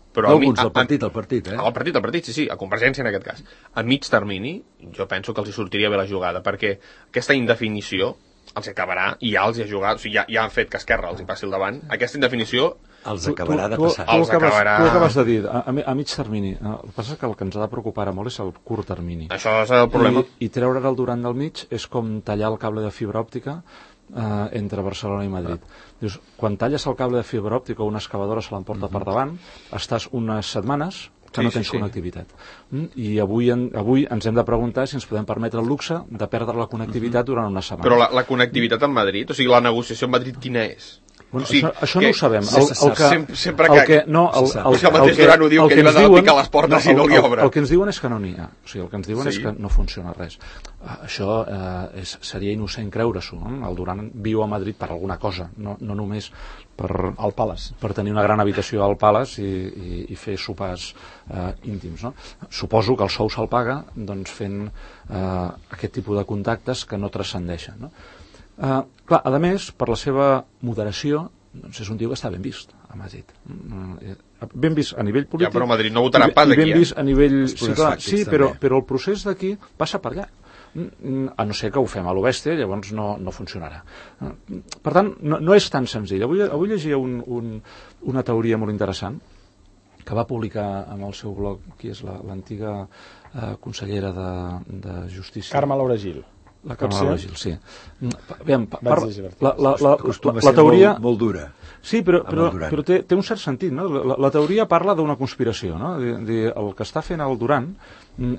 Però no, alguns, el partit, el partit, eh? El partit, el partit, sí, sí, a Convergència en aquest cas. A mig termini, jo penso que els hi sortiria bé la jugada, perquè aquesta indefinició els acabarà, i ja els hi ha jugat, o sigui, ja, ja han fet que Esquerra els hi passi al davant, aquesta indefinició... Els acabarà tu, tu, de passar. Tu, tu, els acabes, acabarà... tu acabes de dir, a, a mig termini. El que passa és que el que ens ha de preocupar molt és el curt termini. Això és el problema. I, i treure el Duran del mig és com tallar el cable de fibra òptica eh, entre Barcelona i Madrid. Ah. Dius, quan talles el cable de fibra òptica o una excavadora se l'emporta uh-huh. per davant, estàs unes setmanes que sí, no tens sí, sí. connectivitat. Mm? I avui, en, avui ens hem de preguntar si ens podem permetre el luxe de perdre la connectivitat uh-huh. durant una setmana. Però la, la connectivitat en Madrid, o sigui, la negociació en Madrid quina és? Bueno, sí, això, això no ho sabem. El, el que, sempre, sempre el que, no, el, el, el, el, el mateix Duran ho diu, que ell va de picar les portes no, i no li obre. El, el que ens diuen és que no n'hi ha. O sigui, el que ens diuen sí. és que no funciona res. Uh, això uh, és, seria innocent creure-s'ho. Eh? El Duran viu a Madrid per alguna cosa, no, no només per, al Palace. Per tenir una gran habitació al Palace i, i, i fer sopars uh, íntims. No? Suposo que el sou se'l paga doncs, fent uh, aquest tipus de contactes que no transcendeixen. No? Uh, clar, a més, per la seva moderació, doncs és un tio que està ben vist a Madrid. Ben vist a nivell polític. Ja, però a Madrid no votarà pas aquí. I ben eh? vist a nivell... Sí, clar, sí però, però el procés d'aquí passa per allà. A no ser que ho fem a l'Obèstia, llavors no, no funcionarà. Per tant, no, no és tan senzill. Avui, avui llegia un, un, una teoria molt interessant que va publicar en el seu blog, qui és l'antiga eh, consellera de, de Justícia. Carme Laura Gil. La Carme Laura Gil, sí. Aviam, la, la, la, la, la, la teoria... Molt, molt dura. Sí, però, però, però té, té un cert sentit, no? La, la teoria parla d'una conspiració, no? De, de, el que està fent el Duran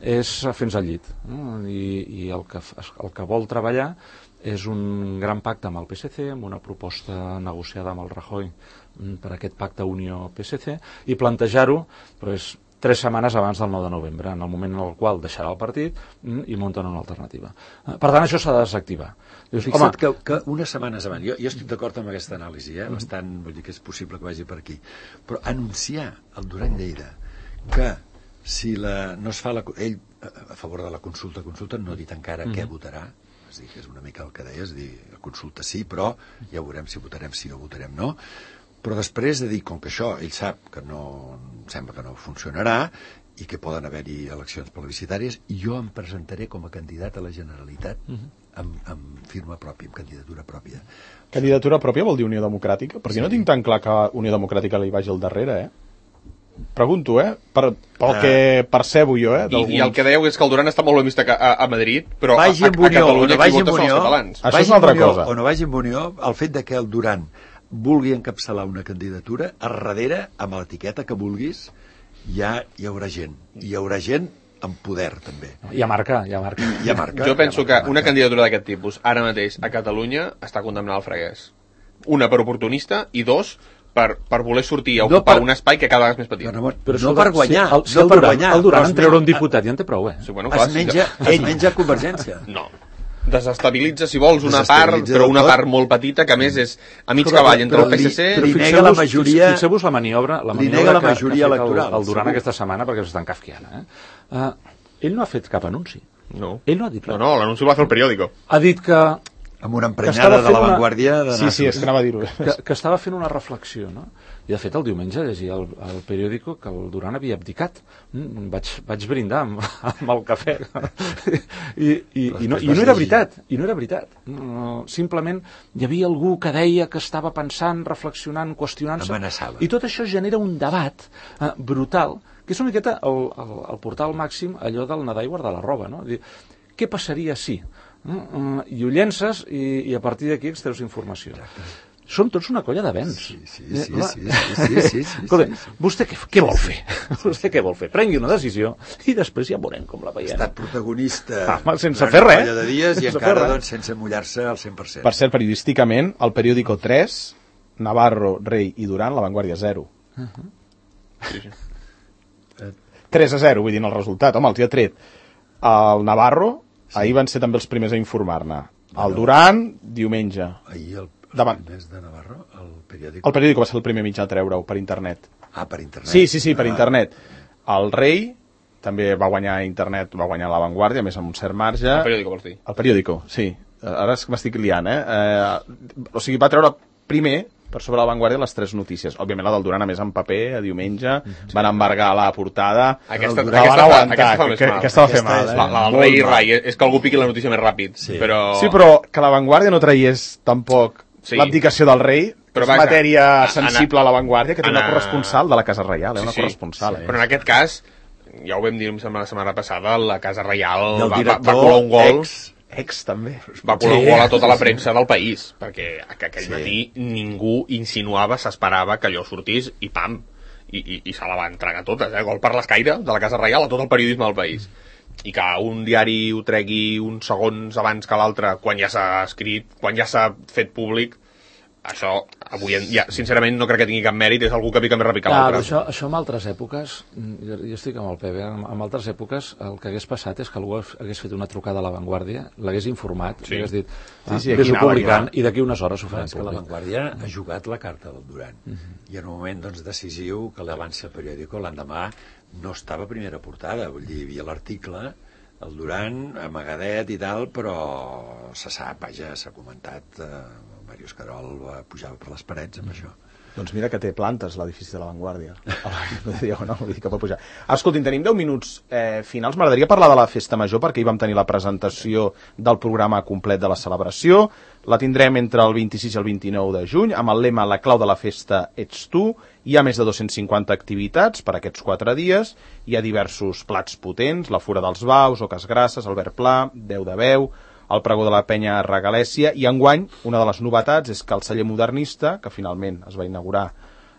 és fer-nos al llit, no? I, i el, que, el que vol treballar és un gran pacte amb el P S C, amb una proposta negociada amb el Rajoy per aquest pacte Unió-P S C, i plantejar-ho, però és tres setmanes abans del nou de novembre, en el moment en el qual deixarà el partit i munten una alternativa. Per tant, això s'ha de desactivar. Dius, Fixa't que, que unes setmanes abans, jo, jo estic d'acord amb aquesta anàlisi, eh? Bastant, vull dir que és possible que vagi per aquí, però anunciar al Duran Lleida que si la, no es fa la, ell a favor de la consulta, consulta no ha dit encara mm. què votarà, és dir, que és una mica el que deies, dir, la consulta sí, però ja veurem si votarem sí o votarem no. Però després de dir, com que això ell sap que no, sembla que no funcionarà i que poden haver-hi eleccions plebiscitàries, jo em presentaré com a candidat a la Generalitat uh-huh. amb, amb firma pròpia, amb candidatura pròpia. Candidatura pròpia vol dir Unió Democràtica? Perquè sí. No tinc tan clar que Unió Democràtica li vagi al darrere, eh? Pregunto, eh? Per, pel uh, que percebo jo, eh? I, I el que dèieu és que el Duran està molt ben vist a, a, a Madrid, però vagi a, a, a Catalunya qui vota són els catalans. Això és una altra cosa. O no vagi amb Unió, el fet de que el Duran vulgui encapçalar una candidatura, a darrere, amb l'etiqueta que vulguis, ja hi haurà gent. Hi haurà gent amb poder, també. Hi ha marca, hi ha marca. Hi ha marca jo penso marca, que marca. Una candidatura d'aquest tipus, ara mateix, a Catalunya, està condemnada al freguès. Una, per oportunista, i dos, per, per voler sortir a ocupar no per... un espai que cada vegada és més petit. No, no, però no per guanyar. Si, el, si no el, per Duran, guanyar, el Duran en treure un diputat ja en té prou, eh? Sí, bueno, clar, es menja, si ell menja Convergència. No. Desestabilitza, si vols, una part, però una part molt petita, que a més és a mig cavall entre el P S C... Però li nega la majoria... Fixeu-vos la maniobra, la maniobra la majoria que, que ha fet el, el Duran aquesta setmana, perquè s'estan kafkiana. Eh? Uh, ell no ha fet cap anunci. No. Ell no ha dit res. No, no, l'anunci el va fer el periòdico. Ha dit que... Amb una emprenyada de l'avantguàrdia de sí, sí, és que anava a dir-ho. Que, que estava fent una reflexió, no? I de fet el diumenge llegia al, al periòdico que el Duran havia abdicat. Mm, vaig, vaig brindar amb, amb el cafè. I, i, i, no, I no era veritat. I no era veritat. No, simplement hi havia algú que deia que estava pensant, reflexionant, qüestionant-se. Amenaçava. I tot això genera un debat eh, brutal, que és una miqueta el, el, el portal màxim, allò del nedar i guardar la roba, no? Dir, què passaria si... Uh, uh, i ho llences i, i a partir d'aquí extreus informació. Són tots una colla de vents. Sí, sí, sí, sí, sí, sí, sí, sí, sí, Escolta, vostè què, què vol fer? Vostè què vol fer? Prengui una decisió i després ja veurem com la veiem. Ha estat protagonista ah, sense fer res. De dies i encara doncs, sense mullar-se al cent per cent. Per cert, periodísticament, el periòdico tres, Navarro, Rey i Duran, La Vanguardia zero. Uh-huh. Sí, sí. tres a zero, vull dir, en el resultat. Home, els hi ha tret el Navarro. Sí. Ahir van ser també els primers a informar-ne. El Duran, diumenge. Ahir el, els davant. primers de Navarro, el periòdic... El periòdic va ser el primer mitjà a treure-ho per internet. Ah, per internet. Sí, sí, sí, per ah. internet. El Rei també va guanyar internet, va guanyar La Vanguardia, més amb un cert marge. El periòdico, vols dir? El periòdico, sí. Ara és que m'estic liant, eh? eh? O sigui, va treure primer per sobre La Vanguardia les tres notícies. Òbviament la del Duran, a més, en paper, a diumenge, sí. Van embargar la portada. Aquesta, aquesta, aquesta, aquesta, aquesta fa més que, mal. Aquesta va fer mal, eh? La, la del Rei i Rai, és que algú piqui la notícia més ràpid. Sí, però, sí, però que La Vanguardia no traiés tampoc sí. l'abdicació del rei, però és matèria a, sensible a, a La Vanguardia, que té una corresponsal de la Casa Reial, eh? Una sí, corresponsal. Sí. Eh? Però en aquest cas, ja ho vam dir la setmana passada, la Casa Reial va, va, va colar un gol... Ex. Ex també. Va colar un gol a tota la premsa del país, perquè aquell sí. matí ningú insinuava, s'esperava que allò sortís i pam, i, i, i se la va entregar totes, eh? Gol per l'escaire de la Casa Reial a tot el periodisme del país. I que un diari ho tregui uns segons abans que l'altre, quan ja s'ha escrit, quan ja s'ha fet públic, això, avui, en, ja, sincerament, no crec que tingui cap mèrit, és algú que pica més ràpid que Clar, l'altre. això, això en altres èpoques, jo, jo estic amb el Pepe, en, en altres èpoques el que hagués passat és que algú hagués fet una trucada a La Vanguardia, l'hagués informat, sí. li hagués dit, ah, sí, sí, vés-ho anava, publicant, i d'aquí unes hores ho farem És que La públic. Vanguardia ha jugat la carta del Duran. Uh -huh. I en un moment doncs, decisiu que l'Avance Periódico l'endemà no estava a primera portada, vull dir, hi havia l'article, el Duran, amagadet i tal, però se sap, vaja, s'ha comentat, eh, Màrius Carol va pujar per les parets amb mm. això. Doncs mira que té plantes l'edifici de La Vanguardia. No, vull dir que pot pujar. Escoltin, tenim deu minuts eh, finals. M'agradaria parlar de la Festa Major, perquè hi vam tenir la presentació del programa complet de la celebració. La tindrem entre el vint-i-sis i el vint-i-nou de juny, amb el lema La clau de la festa ets tu. Hi ha més de dos-cents cinquanta activitats per aquests quatre dies. Hi ha diversos plats potents, la Fura dels Baus, Oques Grasses, Albert Pla, Déu de Veu, el pregó de la Penya Regalèsia, i enguany una de les novetats és que el celler modernista, que finalment es va inaugurar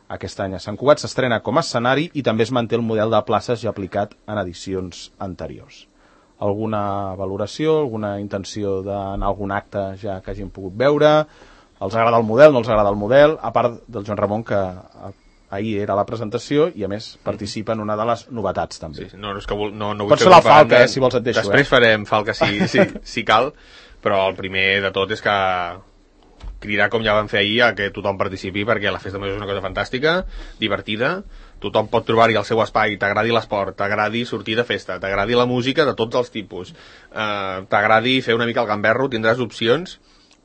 aquest any a Sant Cugat, s'estrena com a escenari i també es manté el model de places ja aplicat en edicions anteriors. Alguna valoració, alguna intenció d'anar a algun acte ja que hagin pogut veure? Els agrada el model, no els agrada el model? A part del Joan Ramon, que ahir era la presentació i a més participa en una de les novetats també. Sí, no, no, és que vol, no, no vull pots fer la falca, eh, si vols et deixo. Després eh? farem falca si, si, si cal, però el primer de tot és que cridar, com ja vam fer ahir, a que tothom participi, perquè la Festa Major és una cosa fantàstica, divertida, tothom pot trobar-hi el seu espai, t'agradi l'esport, t'agradi sortir de festa, t'agradi la música de tots els tipus, eh, t'agradi fer una mica el gamberro, tindràs opcions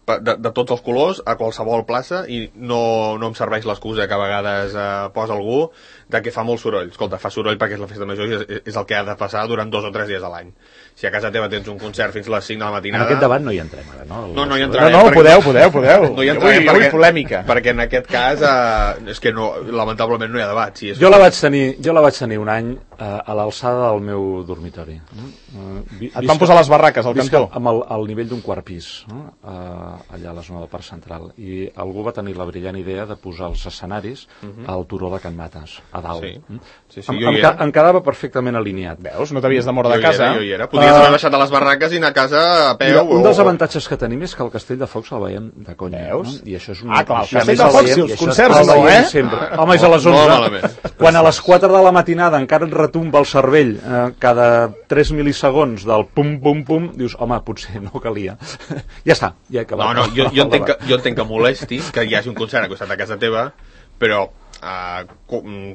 de, de tots els colors a qualsevol plaça, i no, no em serveix l'excusa que a vegades eh, posa algú de que fa molt soroll. Escolta, fa soroll perquè és la Festa Major i és, és el que ha de passar durant dos o tres dies a l'any. Si a casa teva tens un concert fins a les cinc de la matinada... En aquest debat no hi entrem ara, no? No, no hi entrarem. No, no, podeu, podeu, podeu. No hi entrarem vull, perquè, vull polèmica. Perquè en aquest cas eh, és que no, lamentablement no hi ha debat. Si és jo, la vaig tenir, jo la vaig tenir un any eh, a l'alçada del meu dormitori. Eh, vi, Et van posar les barraques al cantó? Amb el, al nivell d'un quart pis, no? eh, allà a la zona del Parc Central. I algú va tenir la brillant idea de posar els escenaris uh -huh. al turó de Can Mates, a dalt. Sí. Sí, sí, em, jo em, hi era. em quedava perfectament alineat. Veus? No t'havies de moure de Jo hi casa. era, jo hi era. Podies Uh, haver baixat a les barraques i anar a casa a peu. Mira, un o... dels avantatges que tenim és que el Castell de Focs el veiem de conya. Veus? No? I això és un... Ah, clar, el això a Castell més de el Focs veiem- i els i això concerts el no, veiem eh? Sempre. Home, és a les Molt onze. malament. Quan a les quatre de la matinada encara et retumba el cervell eh, cada tres mil·lisegons del pum, pum, pum, dius, home, potser no calia. Ja està, ja he acabat. No, no, jo, jo, entenc que, jo entenc que molesti que hi hagi un concert a costat de casa teva, però Uh,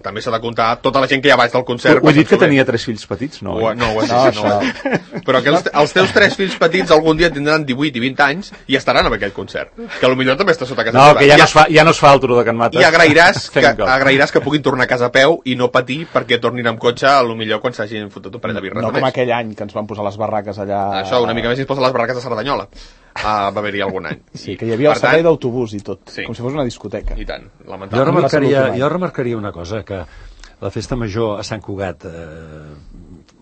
també s'ha de comptar tota la gent que hi ha baix del concert. Ho he dit que tenia tres fills petits, no? Ho, no, ho has No, dit, no, ho has dit. Però que els, els teus tres fills petits algun dia tindran divuit i vint anys i estaran en aquell concert, que potser també està sota casa No, teva. que ja, no es fa, ja no es fa el turó de Can Mates. I agrairàs que, Thank God. agrairàs que puguin tornar a casa a peu i no patir perquè tornin amb cotxe a lo millor quan s'hagin fotut un parell de birres No només. com aquell any que ens van posar les barraques allà... Això, una mica més si es posa les barraques de Cerdanyola. Uh, va haver-hi algun any. Sí, que hi havia Per el servei tant, d'autobús i tot, sí. com si fos una discoteca. I tant, Jo lamentable. remarcaria, jo remarcaria una cosa, que la Festa Major a Sant Cugat eh,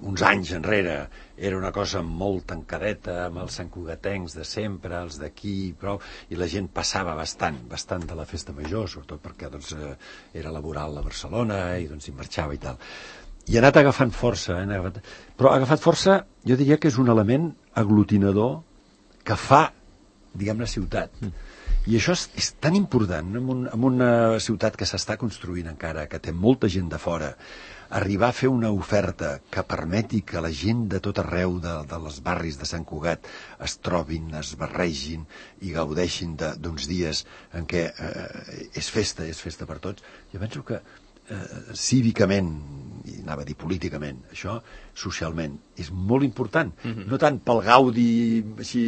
uns anys enrere era una cosa molt tancadeta amb els santcugatencs de sempre, els d'aquí prou, i la gent passava bastant bastant de la Festa Major, sobretot perquè doncs, eh, era laboral a Barcelona i doncs hi marxava i tal. I ha anat agafant força, eh, agafat... però ha agafat força, jo diria que és un element aglutinador que fa, diguem-ne, ciutat. Mm. I això és, és tan important en, un, en una ciutat que s'està construint encara, que té molta gent de fora, arribar a fer una oferta que permeti que la gent de tot arreu de, de les barris de Sant Cugat es trobin, es barregin i gaudeixin d'uns dies en què eh, és festa, és festa per tots. Jo penso que eh, cívicament, i anava a dir políticament, això socialment és molt important. Mm-hmm. No tant pel gaudi així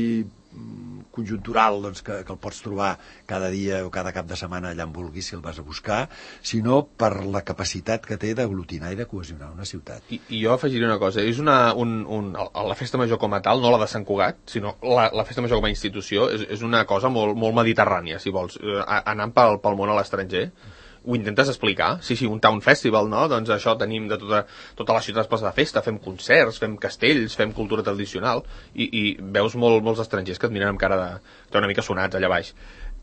conjuntural doncs, que, que el pots trobar cada dia o cada cap de setmana allà on vulguis si el vas a buscar, sinó per la capacitat que té d'aglutinar i de cohesionar una ciutat. I, i jo afegiré una cosa, és una, un, un, la Festa Major com a tal, no la de Sant Cugat, sinó la, la Festa Major com a institució, és, és una cosa molt, molt mediterrània, si vols, eh, anant pel, pel món a l'estranger. Ho intentes explicar? Sí, sí, un town festival, no? Doncs això tenim de tota, tota la ciutat es posa de festa, fem concerts, fem castells, fem cultura tradicional, i, i veus molt, molts estrangers que et miren amb cara de... de una mica sonats allà baix.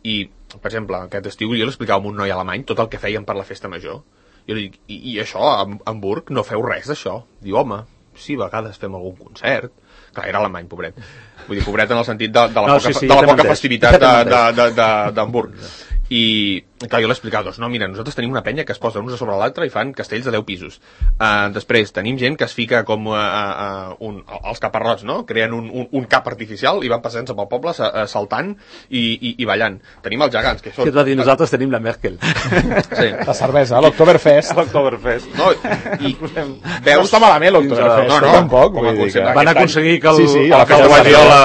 I, per exemple, aquest estiu jo l'explicava a un noi alemany tot el que feien per la Festa Major. Jo li dic, i, i això, a Hamburg, no feu res d'això? Diu, home, sí, a vegades fem algun concert. Clar, era alemany, pobret. Vull dir, pobret en el sentit de, de la no, poca, sí, sí, de la ja poca entès. festivitat ja d'Hamburg. i clar, jo l'he explicat, doncs no, mira, nosaltres tenim una penya que es posa uns a sobre l'altre i fan castells de deu pisos. Uh, després tenim gent que es fica com uh, uh, un, els caparrots, no? Creen un, un, un cap artificial i van passant-se pel poble uh, saltant i, i, i ballant. Tenim els gegants, que són... Que et va dir, nosaltres tenim la Merkel. Sí. La cervesa, l'Octoberfest. L'Octoberfest. No, i veus... No està malament l'Octoberfest, no, no, tampoc. com a concepte. Van aconseguir que el, sí, sí, el, que el Guardiola...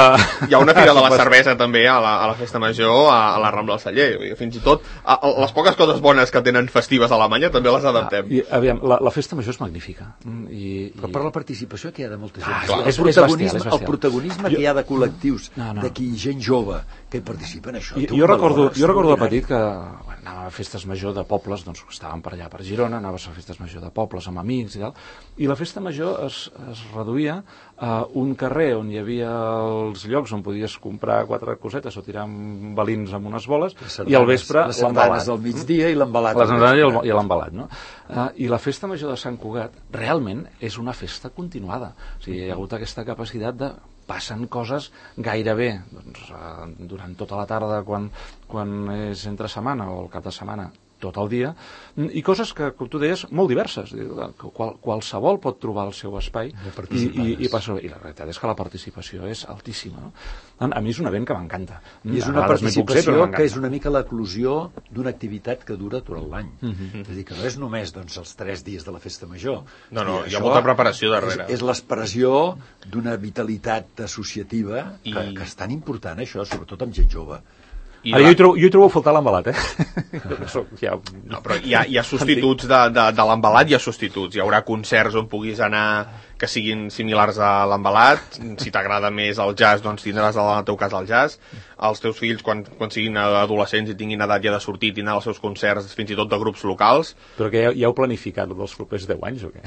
Hi ha una fira de la cervesa també a la, a la Festa Major, a, a la Rambla del Celler. Fins i tot a, a, les poques coses bones que tenen festives a Alemanya també les adaptem. Ah, i, aviam, la, la Festa Major és magnífica. I, Però per la participació que hi ha de molta gent. Ah, el, és- és protagonisme, bestial, és bestial. el protagonisme que hi ha de col·lectius, No, no. d'aquí gent jove que hi participen, això I, té un jo recordo, valor jo recordo de extraordinari. petit que bueno, anava a festes major de pobles, doncs estàvem per allà per Girona, anaves a festes major de pobles amb amics i tal, i la festa major es, es reduïa a un carrer on hi havia els llocs on podies comprar quatre cosetes o tirar amb balins amb unes boles, Les i sardanes- al vespre les sardanes del migdia i l'embalat. les al sardanes i vespre. el- i l'embalat, no? Uh, I la festa major de Sant Cugat realment és una festa continuada. O sigui, hi ha hagut aquesta capacitat de passen coses gairebé doncs, uh, durant tota la tarda quan, quan és entre setmana o el cap de setmana tot el dia, i coses que, com tu deies, molt diverses. Qual, qualsevol pot trobar el seu espai i, i, i, passa, i la realitat és que la participació és altíssima. No? A mi és un event que m'encanta. I és A una vegades m'hi puc ser, participació però que m'encanta. és una mica l'eclusió d'una activitat que dura tot l'any. Mm -hmm. És a dir, que no és només doncs, els tres dies de la festa major. No, no, És a dir, hi ha això molta preparació darrere. És, és l'expressió d'una vitalitat associativa I- que, que és tan important, això, sobretot amb gent jove. I Ara, jo, hi trobo, jo hi trobo a faltar l'embalat, eh? Jo soc ja... No, però hi ha, hi ha substituts de, de, de l'embalat, hi ha substituts. Hi haurà concerts on puguis anar que siguin similars a l'embalat. Si t'agrada més el jazz, doncs tindràs en el teu cas el jazz. Els teus fills, quan, quan siguin adolescents i tinguin edat ja de sortir, tindran els seus concerts fins i tot de grups locals. Però que ja, ja heu planificat dels propers deu anys o què?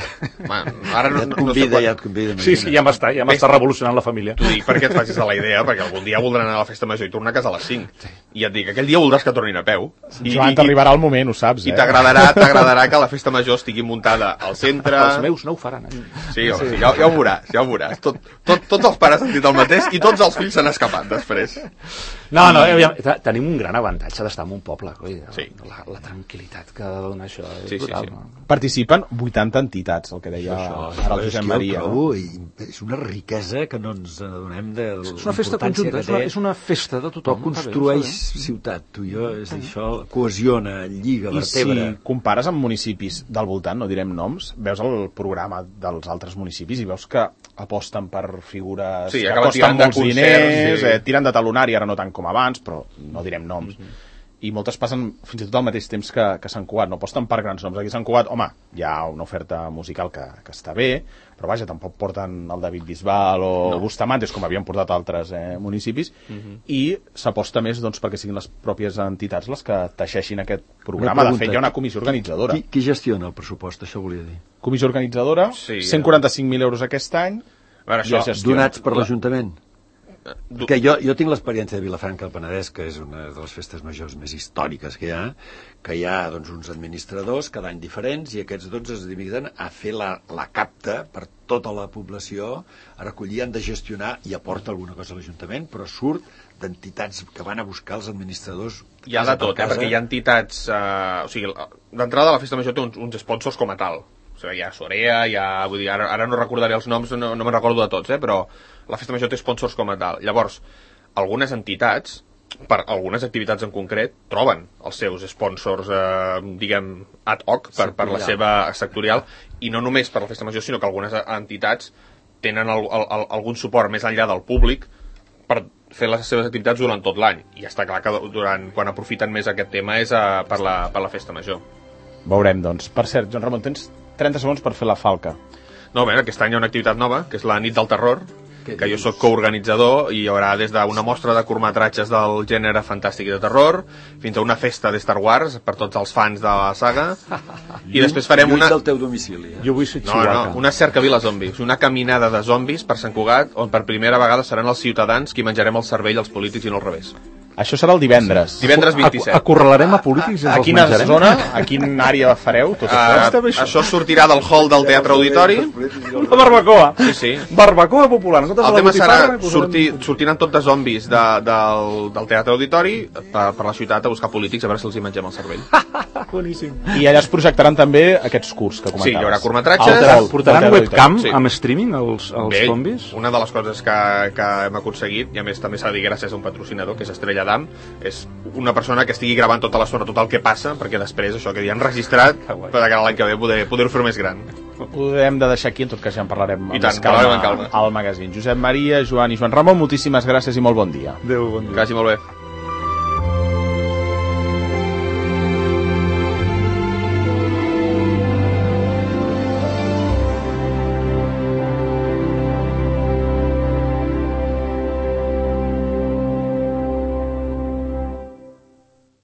Man, ara no, Ja et no sé convida, quan... ja et convida. Sí, sí, ja m'està, ja m'està revolucionant la família. T'ho dic perquè et facis a la idea, perquè algun dia voldran anar a la festa major i tornar a casa a les cinc. I et dic, aquell dia voldràs que tornin a peu. I, Joan, t'arribarà el moment, ho saps, I eh? t'agradarà t'agradarà que la festa major estigui muntada al centre. Els meus no ho faran. Eh? Sí, home, sí, ja, ja ho veuràs, ja ho veuràs. Tot, tot, tots els pares han dit el mateix i tots els fills s'han escapat després. No, no, aviam, tenim un gran avantatge d'estar en un poble, coi, Sí. la, la tranquil·litat que ha de donar això és Sí, sí, brutal. sí. No? Participen vuitanta entitats, el que deia ara el és Josep que Maria. ho No? trobo, i és una riquesa que no ens adonem de És una festa conjunta, és una, és una festa de però tothom. construeix està bé, ciutat, tu i jo, és a dir, això cohesiona, lliga, I si vertebra. compares amb municipis del voltant, no direm noms, veus el programa dels altres municipis i veus que aposten per figures Sí, que acaben costen tirant de molts concerts, diners, sí. eh, tiren de talonari, ara no tant com abans, però no direm noms. I moltes passen fins i tot al mateix temps que, que Sant Cugat, no aposten per grans noms. Aquí a Sant Cugat, home, hi ha una oferta musical que, que està bé, però vaja, tampoc porten el David Bisbal o no. Bustamantes, com havien portat altres eh, municipis, i s'aposta més doncs, perquè siguin les pròpies entitats les que teixeixin aquest programa. Una De fet, pregunta, hi ha una comissió organitzadora. Qui, qui gestiona el pressupost, això volia dir? Comissió organitzadora, Sí, cent quaranta-cinc mil euros aquest any, A veure, i es això, gestiona. Donats per l'Ajuntament? du- Que jo, jo tinc l'experiència de Vilafranca del Penedès, que és una de les festes majors més històriques que hi ha, que hi ha doncs, uns administradors cada any diferents i aquests doncs es dediquen a fer la, la capta per tota la població, a recollir, han de gestionar i aporta alguna cosa a l'Ajuntament, però surt d'entitats que van a buscar els administradors hi ha de casa per tot, eh, casa. perquè hi ha entitats... Eh, o sigui, d'entrada la festa major té uns, uns sponsors com a tal. O sigui, hi ha Sorea, hi ha... Vull dir, ara, ara no recordaré els noms, no, no me'n recordo de tots, eh, però la festa major té sponsors com a tal. Llavors, algunes entitats, per algunes activitats en concret, troben els seus sponsors, eh, diguem, ad hoc, per, per la seva sectorial, i no només per la festa major, sinó que algunes entitats tenen el, el, el, algun suport més enllà del públic per fer les seves activitats durant tot l'any. I està clar que durant, quan aprofiten més aquest tema és a, per, la, per la festa major. Veurem, doncs. Per cert, Joan Ramon, tens trenta segons per fer la falca. No, bé, aquest any hi ha una activitat nova, que és la Nit del Terror, Què que jo dius? sóc coorganitzador, i hi haurà des d'una mostra de curtmetratges del gènere fantàstic i de terror, fins a una festa de Star Wars per tots els fans de la saga, i després farem Lluny una... del teu domicili. Eh? Jo vull ser No, Chihuahua. no, una cercavila zombis, una caminada de zombis per Sant Cugat, on per primera vegada seran els ciutadans qui menjarem el cervell als polítics i no al revés. Això serà el divendres. Divendres vint-i-set. Acorralarem a polítics i A ens els quina menjarem? zona, a quina àrea fareu tot això? Uh, això sortirà del hall del Teatre Auditori. Una barbacoa. Sí, sí. Barbacoa popular. El tema serà sortir, sortiran tot de zombis de, del, del Teatre Auditori per, per la ciutat a buscar polítics a veure si els hi mengem el cervell. Boníssim. I allà es projectaran també aquests curts que comentaves. Sí, hi haurà curtmetratges. Al hall Portaran del Teatre webcam Sí. amb streaming els, els Bé, zombis? una de les coses que, que hem aconseguit, i a més també s'ha de dir gràcies a un patrocinador, que és Estrella d'Am, és una persona que estigui gravant tota l'estona tot el que passa, perquè després això que ja han registrat, per de cara a l'any que ve poder, poder-ho fer més gran. Ho hem de deixar aquí, en tot cas ja en parlarem I amb tant, més calma, parlarem amb calma. al magazín. Josep Maria, Joan i Joan Ramon, moltíssimes gràcies i molt bon dia. Adéu, bon dia. Que vagi molt bé.